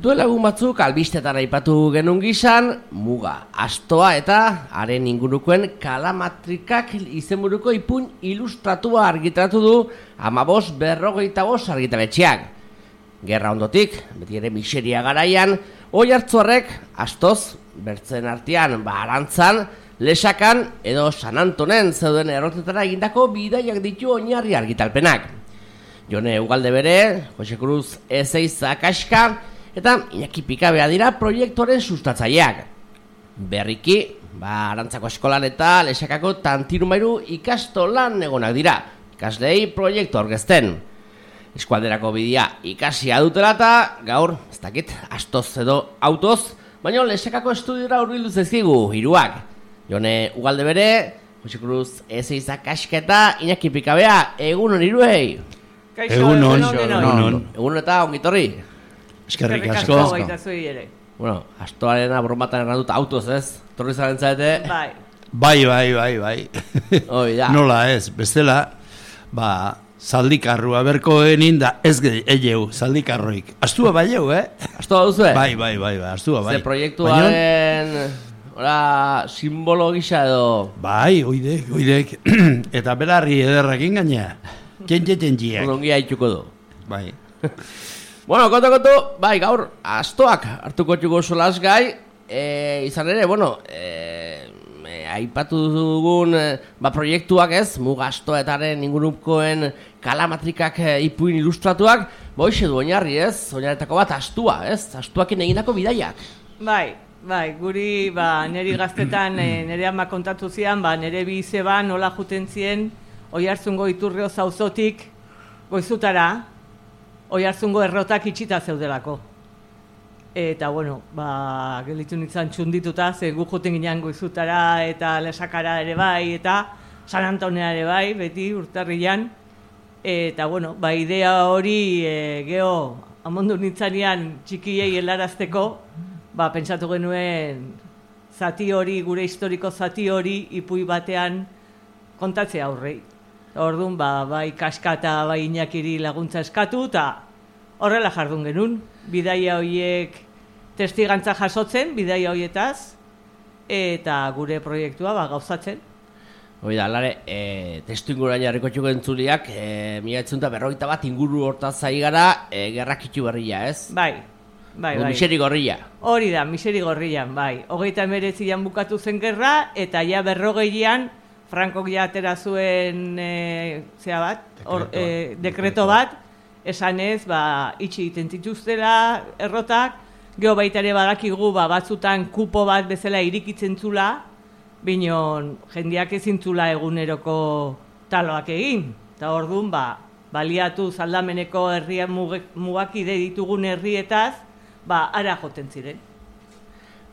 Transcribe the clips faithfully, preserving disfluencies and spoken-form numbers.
Duela egun batzuk albistetan aipatu genuen gizan, muga, astoa eta haren ingurukoen kalamatrikak izenburuko ipuin ilustratua argitaratu du amabos berrogeita bost argitaletxeak. Gerra ondotik, beti ere miseria garaian, oi hartzuarrek astoz, bertzen artean, barantzan, lesakan edo San Antonen zeuden errotetara egindako bidaiak ditu oinarri argitalpenak. Jone Ugalde bere, Jose Cruz Ezeiza Kaxka eta Iñaki Pikabea dira proiektuaren sustatzaileak. Berriki, ba, Arantzako eskolan eta Lesakako Tantirumairu ikastolan egonak dira, ikaslei proiektu aurkezten. Eskualderako bidea ikasia dutela eta gaur, ez dakit, astoz edo autoz, baina Lesakako estudiora hurbildu zaizkigu hiruak. Jone Ugalde bere, Jose Cruz Ezeiza Kaxka eta Iñaki Pikabea, egunon hiruei. Egunon, egunon. Egunon eta ongitorri. Eskerrik asko. Bueno, astoaren abromatan errandut autoz, ez? Torri zaren zaete? Bai. Bai, bai, bai, bai. Hoi da. Nola ez, bestela, ba, zaldikarrua berko enin da ez egeu, zaldikarroik. Astua bai eu, eh? Astua duzu, eh? Bai, bai, bai, bai, astua bai. Ze proiektuaren, ora, simbolo gisa edo... Bai, oidek, oidek. Eta belarri ederrakin gaina. Txentxeten jiak. Ongi haitxuko du. Bai. Bueno, konto, konto, bai, gaur, astoak hartuko txuko solaz gai, e, izan ere, bueno, e, e, aipatu dugun, e, ba, proiektuak ez, muga astoetaren ingurukoen kalamatrikak e, ipuin ilustratuak, boixe du oinarri ez, oinarretako bat astua, ez, astuakin egindako bidaiak. Bai, bai, guri, ba, neri gaztetan, e, nere ama kontatu zian, ba, nere bi izeba nola juten zien, Oiartzungo Iturrio zauzotik goizutara, Oiartzungo errotak itxita zeudelako. Eta, bueno, ba, gelditu nintzen txundituta, ze gu juten ginean goizutara eta Lesakara ere bai, eta San Antonea ere bai, beti urtarrian. Eta, bueno, ba, idea hori e, geho amondu nintzanean txikiei helarazteko, ba, pentsatu genuen zati hori, gure historiko zati hori, ipui batean kontatzea aurrei. Orduan, ba, bai Kaxka eta bai Iñakiri laguntza eskatu, eta horrela jardun genuen. Bidaia horiek testigantza jasotzen, bidaia horietaz, eta gure proiektua ba, gauzatzen. Hoi da, alare, e, testu ingurain jarriko txuko entzuliak, e, mila etzunta berroita bat inguru hortaz zai gara, e, gerrakitu berria, ez? Bai, bai, bai. Miseri gorria. Hori da, miseri gorrian, bai. Hogeita emeretzian bukatu zen gerra, eta ja berrogeian, Frankok ja atera zuen e, zea bat, or, e, dekreto bat, esanez, ba, itxi egiten zituztela errotak, geho baita ere badakigu ba, batzutan kupo bat bezala irikitzen zula, binon jendeak ezin zula eguneroko taloak egin. Eta orduan, ba, baliatu zaldameneko herrian mugakide ditugun herrietaz, ba, ara joten ziren.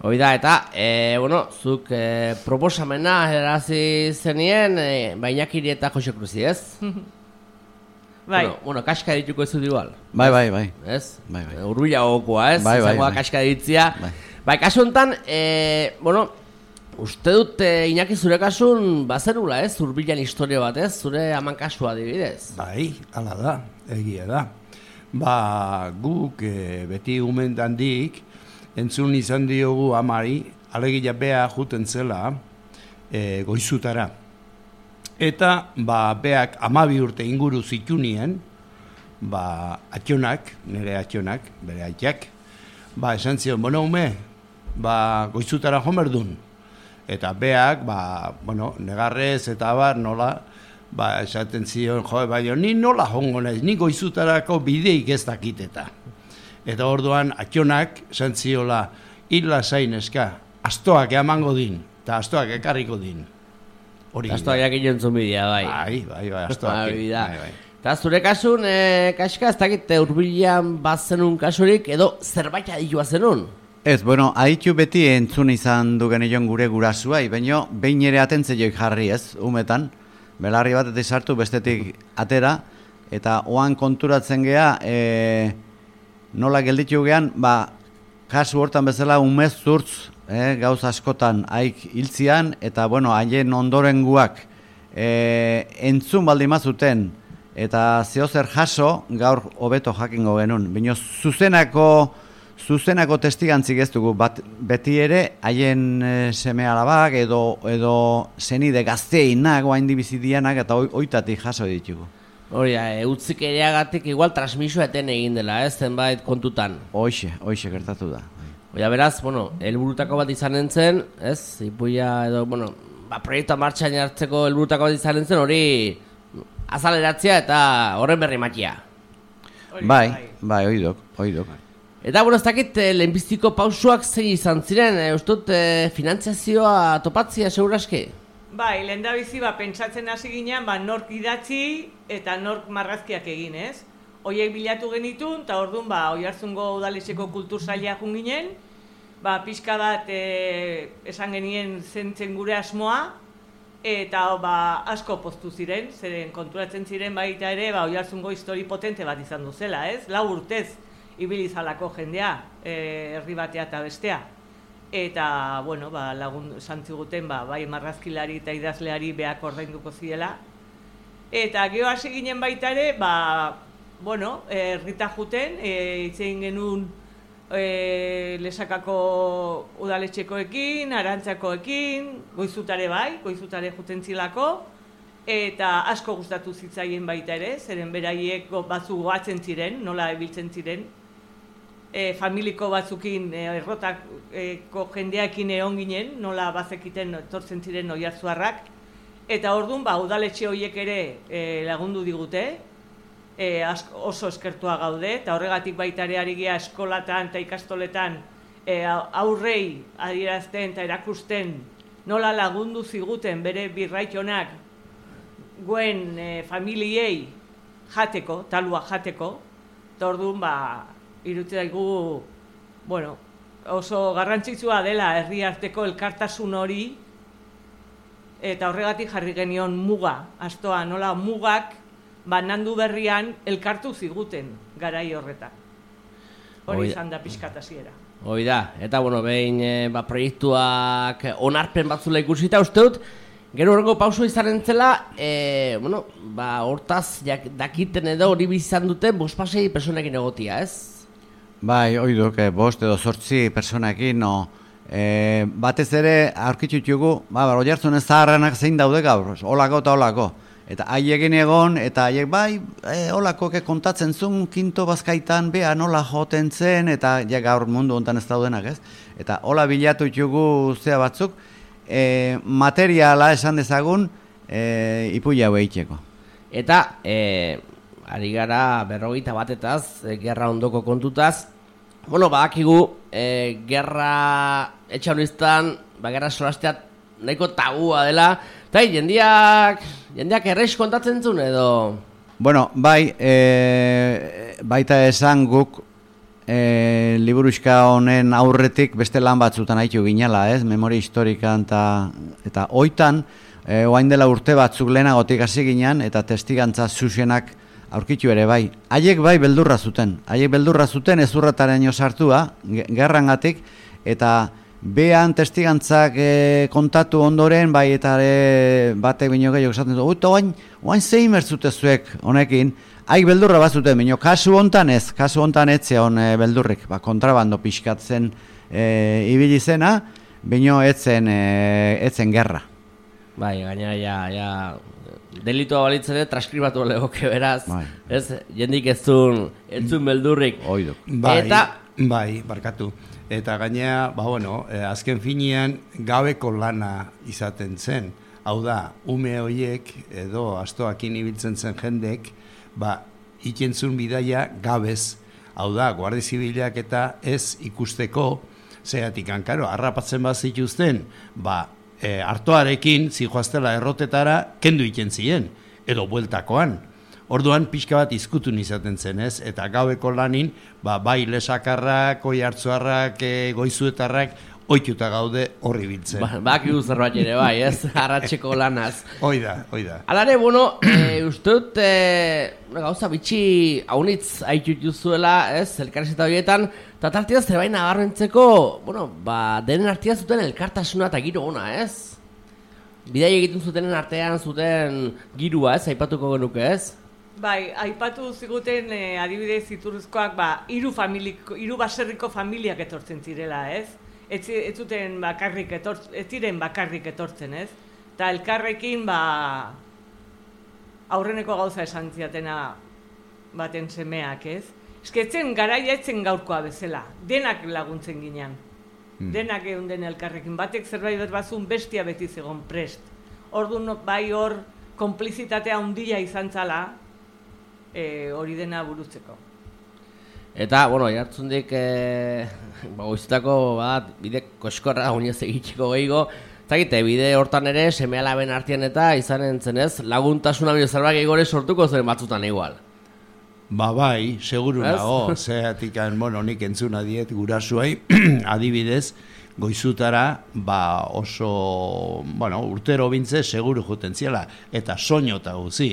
Hoi da, eta, e, bueno, zuk e, proposamena erazi zenien, e, Bainakiri eta Jose Cruzi, ez? Bai. Bueno, bueno, Kaxka dituko ez dut igual. Bai, bai, bai. Ez? Bai, bai. Urbila gokoa, ez? Bai, bai, bai. Kaxka ditzia. Bai. Bai, kasu honetan, e, bueno, uste dut, e, Iñaki zure kasun, bazerula, ez? Urbilan historia bat, ez? Zure aman kasua adibidez. Bai, hala da, egia da. Ba, guk e, beti umendandik, entzun izan diogu amari, alegia bea juten zela e, goizutara. Eta, ba, beak amabi urte inguru zitunien, ba, atxonak, nire atxonak, bere atxak, ba, esan zion, bueno, ume, ba, goizutara jomerdun. Eta beak, ba, bueno, negarrez eta bar, nola, ba, esaten zion, jo, baina, ni nola jongo naiz, ni goizutarako bideik ez dakiteta. Eta orduan, atxonak, esan ziola, hila zain eska, astoak emango din, eta astoak ekarriko din. Hori astoak jakin jontzun bidea, bai. Bai, bai, bai, astoak. Bai, bai. Eta zure kasun, e, Kaxka, ez dakit urbilan bazenun kasurik, edo zerbait adilua zenun? Ez, bueno, aditu beti entzun izan du genion gure gurasuai, baina behin ere atentzeioik jarri ez, umetan, belarri bat eta sartu bestetik atera, eta oan konturatzen gea, e, nola gelditu gean, ba, kasu hortan bezala umez zurtz, eh, gauz askotan haik hiltzian, eta, bueno, haien ondorenguak e, entzun baldimazuten, eta zehozer jaso, gaur hobeto jakingo genuen. Bino, zuzenako zuzenako testigantzik ez dugu, bat, beti ere haien e, seme alabak edo, edo zenide gazteinak, oain dibizidianak eta oitatik jaso ditugu. Hori, e, utzik ereagatik igual transmisio eten egin dela, ez, zenbait kontutan. Hoixe, hoixe gertatu da. Oia, beraz, bueno, helburutako bat izan entzen, ez, ipuia edo, bueno, ba, proiektua martxan jartzeko helburutako bat izan entzen, hori azaleratzea eta horren berri matia. Bai, bai, oidok, oidok. Eta, bueno, ez dakit, eh, lehenbiztiko pausuak zein izan ziren, eh, ustut, eh, finantziazioa topatzia seguraski? Bai, lehen da bizi, ba, pentsatzen hasi ginean, ba, nork idatzi eta nork marrazkiak egin, ez? Hoiek bilatu genitun, eta orduan, ba, Oiartzungo udaletxeko kultur saila jun ginen, ba, pixka bat e, esan genien zentzen gure asmoa, eta ba, asko poztu ziren, zeren konturatzen ziren baita ere, ba, Oiartzungo histori potente bat izan duzela, ez? Lau urtez ibilizalako jendea, e, herri batea eta bestea. Eta, bueno, ba, lagun santziguten, ba, bai marrazkilari eta idazleari beak ordainduko ziela. Eta geho hasi ginen baita ere, ba, bueno, herrita juten, e, itzein genuen e, Lesakako udaletxekoekin, Arantzakoekin, Goizutare bai, Goizutare juten zilako, eta asko gustatu zitzaien baita ere, zeren beraiek batzu goatzen ziren, nola ebiltzen ziren, e, familiko batzukin e, errotako jendeakin egon ginen, nola bazekiten etortzen ziren oiartzuarrak, eta orduan ba, udaletxe horiek ere e, lagundu digute, e, asko, oso eskertua gaude, eta horregatik baita ere ari gea eskolatan eta ikastoletan e, aurrei adierazten eta erakusten nola lagundu ziguten bere birraitonak guen e, familiei jateko, talua jateko, eta orduan ba, irutzen daigu, bueno, oso garrantzitsua dela herri arteko elkartasun hori, eta horregatik jarri genion muga, astoa nola mugak banandu berrian elkartu ziguten garai horretan. Hori izan da pixkat hasiera. Hoi da, eta bueno, behin e, ba, proiektuak onarpen batzula ikusita uste dut, gero horrengo pauso izan entzela, e, bueno, ba, hortaz jak, dakiten edo hori bizizan dute bospasei personekin egotia, ez? Bai, oiduk, eh, bost edo sortzi personekin, no, eh, batez ere aurkitzutugu, ba, Oiartzun ez zaharrenak zein daude gaur, olako eta olako. Eta haiekin egon, eta haiek bai, e, olakoke kontatzen zuen, kinto bazkaitan, beha nola joten zen, eta ja gaur mundu hontan ez daudenak, ez? Eta hola bilatu txugu zea batzuk, e, materiala esan dezagun, e, ipuia hau eitxeko. Eta, e, ari gara berrogeita batetaz, e, gerra ondoko kontutaz, bueno, badakigu, e, gerra etxauriztan, ba, gerra solasteat nahiko tabua dela, eta jendiak, jendiak errex kontatzen zuen edo? Bueno, bai, e, baita esan guk e, liburuxka honen aurretik beste lan batzutan haitu ginela, ez? Memoria historikan eta, eta oitan, e, oain dela urte batzuk lehenagotik hasi ginen, eta testigantza zuzenak aurkitu ere bai. Haiek bai beldurra zuten, haiek beldurra zuten ezurrataraino sartua, gerrangatik, eta behan testigantzak e, kontatu ondoren, bai eta e, batek bino gehiago esaten du, eta oain, oain zein mertzute zuek honekin, haik beldurra bat zuten, bino kasu hontan ez, kasu hontan etze hon e, beldurrik, ba, kontrabando pixkatzen e, ibili zena, bino etzen, e, etzen gerra. Bai, gaina, ja, ja, delitua balitzen ere transkribatu legoke beraz, bai. Ez, jendik ez zuen, ez zuen beldurrik. Oiduk. Bai, eta, bai, barkatu. Eta gainea, ba bueno, eh, azken finean gabeko lana izaten zen. Hau da, ume horiek edo astoakin ibiltzen zen jendek, ba, ikentzun bidaia gabez. Hau da, Guardia Zibilak eta ez ikusteko, zeatik hankaro, harrapatzen bat zituzten, ba, e, hartoarekin zijoaztela errotetara kendu ikentzien, edo bueltakoan. Orduan pixka bat izkutun izaten zen, ez? Eta gaueko lanin, ba, bai lesakarrak, oiartzuarrak, e, goizuetarrak, oituta gaude horri biltzen. Ba, baki zerbait ere bai, ez? Arratxeko lanaz. Hoi da, hoi da. Alare, bueno, e, uste dut, e, gauza bitxi haunitz haitut juzuela, ez? Elkarrizeta horietan, eta tartia zerbait nabarrentzeko, bueno, ba, denen artia zuten elkartasuna eta giro ona, ez? Bidai egiten zutenen artean zuten girua, ez? Aipatuko genuke, ez? Bai, aipatu ziguten eh, adibidez Iturrizkoak ba hiru familiko, hiru baserriko familiak etortzen zirela, ez? Ez, ez zuten bakarrik etortzen, ez ziren bakarrik etortzen, ez? Ta elkarrekin ba aurreneko gauza esan ziatena baten semeak, ez? Esketzen garaia etzen gaurkoa bezala, denak laguntzen ginean. Hmm. Denak geunden elkarrekin, batek zerbait bat bazun bestia beti zegon prest. Orduan bai hor konplizitatea handia izan zala, e, hori dena burutzeko. Eta, bueno, jartzundik, e, ba, goizutako bat, bide koskorra oinez egitxeko gehiago, zagite, bide hortan ere, seme-alaben artean eta izan entzenez, laguntasuna bide zerbait egore sortuko zen batzutan igual. Ba bai, seguru nago, zeatik, bueno, nik entzuna diet gurasuai, adibidez, goizutara, ba oso, bueno, urtero bintze seguru juten ziela, eta soño eta guzi.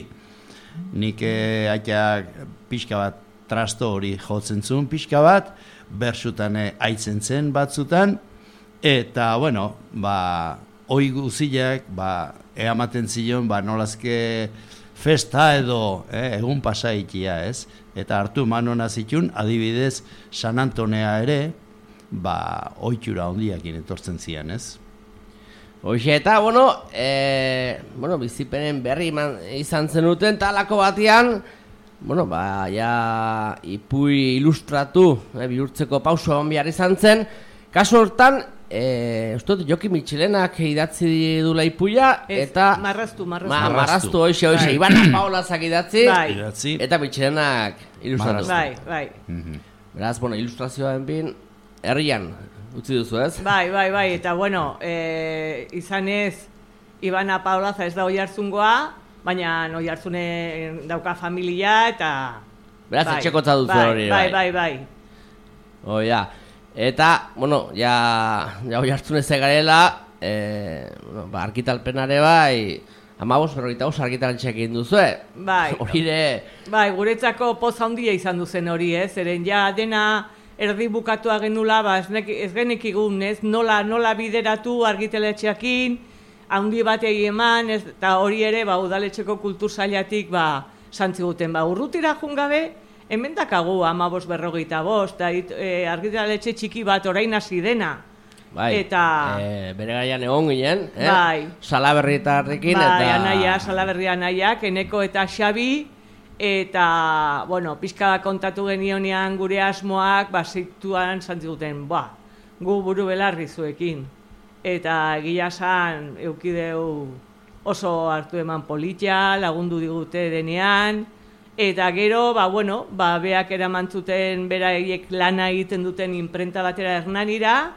Nik eh, aitak pixka bat trasto hori jotzen zuen pixka bat, bersutan eh, aitzen zen batzutan, eta, bueno, ba, oi guziak, ba, eamaten zion, ba, nolazke festa edo eh, egun pasaitia, ez? Eta hartu manona zitun, adibidez, San Antonea ere, ba, oitxura hondiakin etortzen zian, ez? Hoxe, eta, bueno, e, bueno, bizipenen berri iman, izan zenuten, talako batean, bueno, ba, ja, ipui ilustratu, e, bihurtzeko pauso egon behar izan zen, kasu hortan, e, ustot, Joki Mitxelenak idatzi dula ipuia, eta... Marraztu, marraztu. Ma, marraztu, hoxe, hoxe, bai. Ibana Paolazak idatzi, bai. Eta Mitxelenak ilustratu. Bai, bai. Mm-hmm. Beraz, bueno, ilustrazioa bin, herrian utzi duzu, ez? Bai, bai, bai, eta bueno, e, izan ez, Ibana Paolaza ez da Oiartzungoa, baina Oiartzune dauka familia, eta... Beraz, bai, etxekotza duzu bai, hori, bai. Bai, bai, bai. Oh, ja. Eta, bueno, ja, ja Oiartzune zegarela, e, bueno, ba, argitalpenare bai, amabos, berrogeita os argitaltxeak egin duzu, bai. Hori de... Bai, guretzako poz handia izan duzen hori, ez? Zeren ja dena erdi bukatua genula, ba, ez genekigun, ez? Nola, nola bideratu argitaletxeakin, handi batei eman, ez, eta hori ere, ba, udaletxeko kultur sailatik, ba, santziguten, ba, urrutira jungabe, hemen dakagu amabos berrogeita bost, eta e, argitaletxe txiki bat orain hasi dena. Bai, eta... e, bere gaian egon ginen, eh? Bai. Salaberrietarrekin, bai, eta... Anaia, Salaberri anaiak, Eneko eta Xabi, eta, bueno, pixka kontatu genionean gure asmoak, ba, zituan zantziguten, ba, gu buru belarri zuekin. Eta egia san, eukideu oso hartu eman politia, lagundu digute denean, eta gero, ba, bueno, ba, beak eramantzuten beraiek lana egiten duten imprenta batera Hernanira,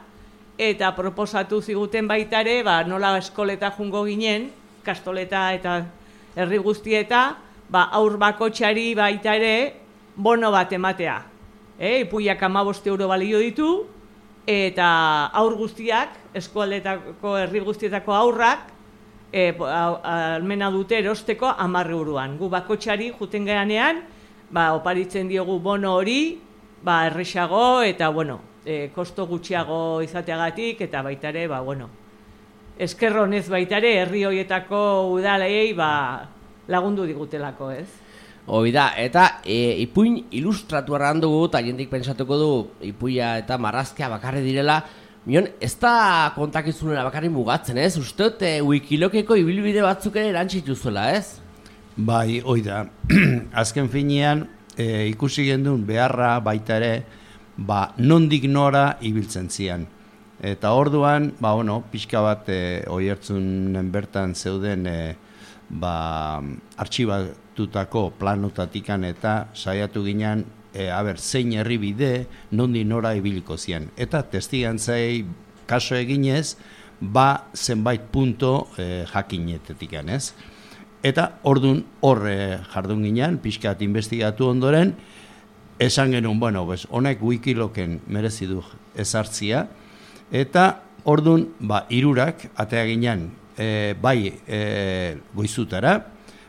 eta proposatu ziguten baitare, ba, nola eskoleta jungo ginen, kastoleta eta herri guztieta, ba, aur bakotxari baita ere bono bat ematea. E, ipuiak amaboste euro balio ditu, eta aur guztiak, eskualdetako herri guztietako aurrak, e, almena dute erosteko amarre uruan. Gu bakotxari juten geanean, ba, oparitzen diogu bono hori, ba, erresago eta, bueno, e, kosto gutxiago izateagatik, eta baitare, ba, bueno, eskerronez baitare, herri hoietako udalei, ba, lagundu digutelako, ez? Hoi da, eta e, ipuin ilustratu erran dugu, eta jendik pentsatuko du ipuia eta marrazkia bakarri direla, mion, ez da kontakizunera bakarri mugatzen, ez? Usteot, e, wikilokeko ibilbide batzuk ere erantzitu zuela, ez? Bai, hoi da. Azken finean, e, ikusi gendun beharra baita ere, ba, nondik nora ibiltzen zian. Eta orduan, ba, bueno, pixka bat e, oiertzunen bertan zeuden e, ba, artxibatutako planotatikan eta saiatu ginen, e, aber, zein herribide, nondi nora ibiliko zian. Eta testigantzai kaso eginez, ba, zenbait punto e, jakinetetikan, ez? Eta ordun hor e, jardun ginen, pixkat investigatu ondoren, esan genuen, bueno, bez, honek wikiloken merezi du ezartzia, eta ordun, ba, hirurak atea ginen, e, bai e, Goizutara,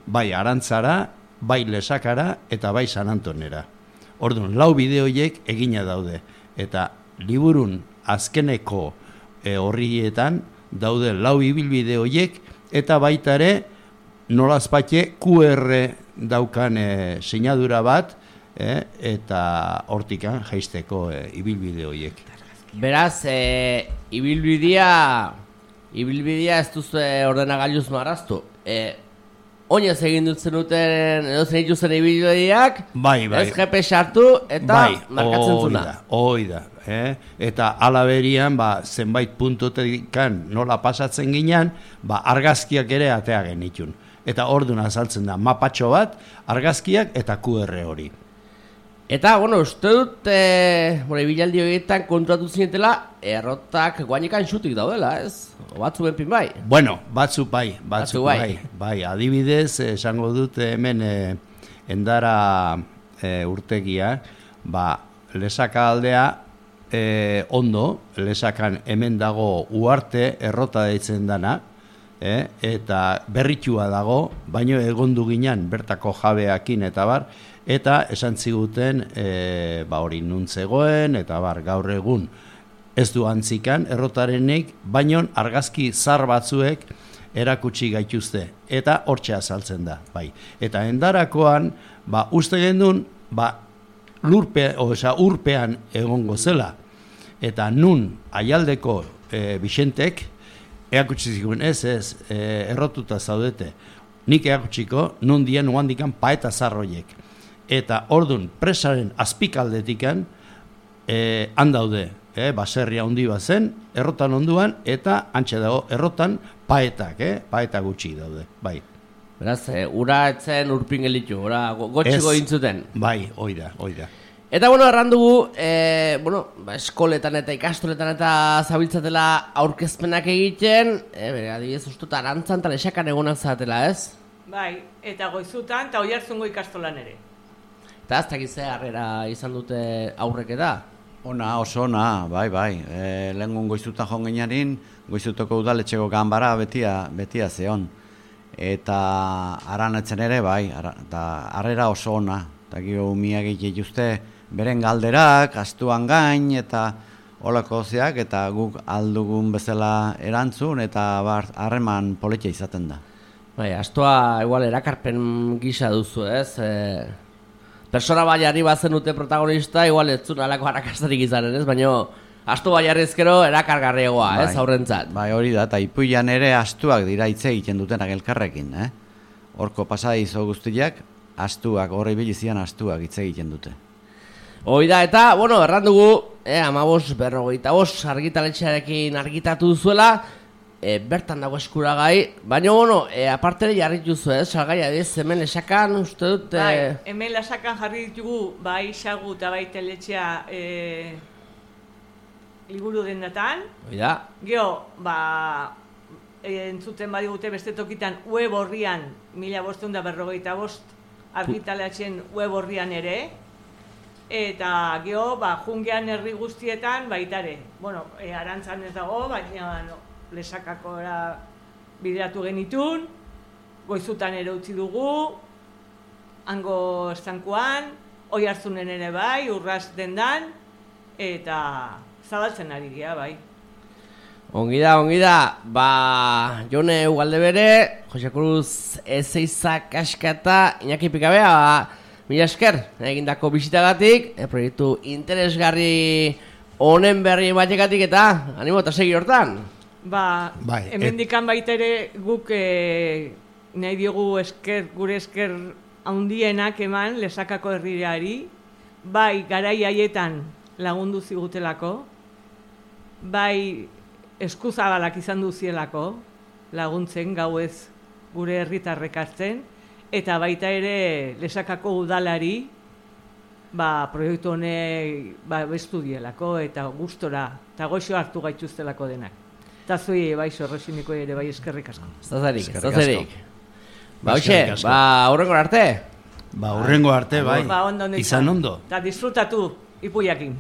bai Arantzara, bai Lesakara, eta bai San Antonera. Ordun, lau bideoiek egina daude, eta liburun azkeneko e, horrietan daude lau ibilbide horiek, eta baita ere nolazpatxe Q R daukan e, sinadura bat, e, eta hortikan jaisteko e, ibilbide horiek. Beraz, e, ibilbidea, ibilbidea ez duzu ordenagailuz marraztu. E, Oinez egin dut zenuten, edo zen ituzen ibilbideak, bai, bai. ez G P S hartu eta bai, markatzen zuna. Hoi da, eh? Eta alaberian, ba, zenbait puntotekan nola pasatzen ginean, ba, argazkiak ere atea genitun. Eta orduan azaltzen da, mapatxo bat, argazkiak eta Q R hori. Eta, bueno, uste dut, e, bueno, ibilaldi horietan kontratu zinetela, errotak guainekan xutik daudela, ez? O batzu benpin bai? Bueno, batzu bai, batzu, Batzu bai. bai. Bai, adibidez, esango dut hemen e, endara e, urtegia, ba, lesaka aldea e, ondo, lesakan hemen dago uarte errota deitzen dana, e, eta berritua dago, baino egondu ginen bertako jabeakin eta bar, eta esan ziguten e, ba hori nuntzegoen, eta bar, gaur egun ez du antzikan errotarenik, baino argazki zar batzuek erakutsi gaituzte, eta hortxe azaltzen da, bai. Eta endarakoan, ba, uste gendun, ba, lurpe, oza, urpean egongo zela, eta nun aialdeko e, Bixentek, erakutsi ziguen ez, ez, e, errotuta zaudete, nik erakutsiko, nun dien uandikan paeta zarroiek. Eta ordun presaren azpikaldetikan eh, handaude, eh, baserria handi bat zen, errotan onduan, eta antxe dago errotan paetak, eh, paeta gutxi daude, bai. Beraz, e, ura etzen urpin gelitu, ura gotxiko intzuten. Bai, oida, oida. Eta, bueno, errandugu, e, bueno, ba, eskoletan eta ikastoletan eta zabiltzatela aurkezpenak egiten, e, bere, adibidez, ustut, arantzan eta lesakan egonak zatela, ez? Bai, eta goizutan, eta Oiartzungo ikastolan ere. Eta aztak izan harrera izan dute aurrek eta? Ona, oso ona, bai, bai. E, Lehengun goizutan joan ginearin, goizutoko udaletxeko ganbara betia, betia zeon. Eta aranetzen ere, bai, ara, eta harrera oso ona. Eta gio umiak egituzte beren galderak, astuan gain, eta holako zeak, eta guk aldugun bezala erantzun, eta bar, harreman politia izaten da. Bai, astua igual erakarpen gisa duzu, ez? E, persona baiari bazenute protagonista, igual ez zuen alako harrakastarik izanen, ez? Baina astu baiari ezkero erakargarriagoa, ez? Bai, aurrentzat. Bai, hori da, eta ipuian ere astuak dira hitz egiten dutenak elkarrekin, eh? Horko pasadizo guztiak, astuak, horre bilizian astuak hitz egiten dute. Hoi da, eta, bueno, erran dugu, eh, amabos, berrogeita bos, argitaletxearekin argitatu duzuela, e, bertan dago eskuragai, baina, bueno, e, aparte jarri duzu, ez, salgai, adiz, hemen lesakan, uste dut... E... Bai, hemen lesakan jarri ditugu, bai xagu eta bai teletxea e, liburu dendatan. Hoi da. Geo, ba, e, entzuten badigute beste tokitan web horrian, mila bostehun da berrogeita bost, argitaletxen web horrian ere, eta geo, ba, jungean herri guztietan baitare. Bueno, e, arantzan ez dago, baina no, lesakakora bideratu genitun, goizutan ere utzi dugu, hango estankuan, Oiartzunen ere bai, urraz dendan, eta zabaltzen ari gira, bai. Ongi da, ongi da, ba, Jone Ugalde bere, Jose Cruz Ezeiza Kaskata, Iñaki Pikabea, ba, mila esker, egindako bisitagatik, e, proiektu interesgarri honen berri batekatik eta animo eta segi hortan. Ba, bai, hemendikan baita ere guk e, nahi diogu esker, gure esker handienak eman lesakako herriari, bai garai haietan lagundu zigutelako, bai eskuzabalak izan duzielako laguntzen gauez gure herritarrek hartzen, eta baita ere lesakako udalari ba, proiektu honek ba, bestudielako eta gustora, eta goxo hartu gaituztelako denak. Eta zui, bai, sorrosiniko ere, bai, eskerrik asko. Zazarik, zazarik. Ba, hoxe, ba, aurrengo arte. Ba, aurrengo arte, bai. Ba, ondo, izan ondo. Eta disfrutatu ipuiakin.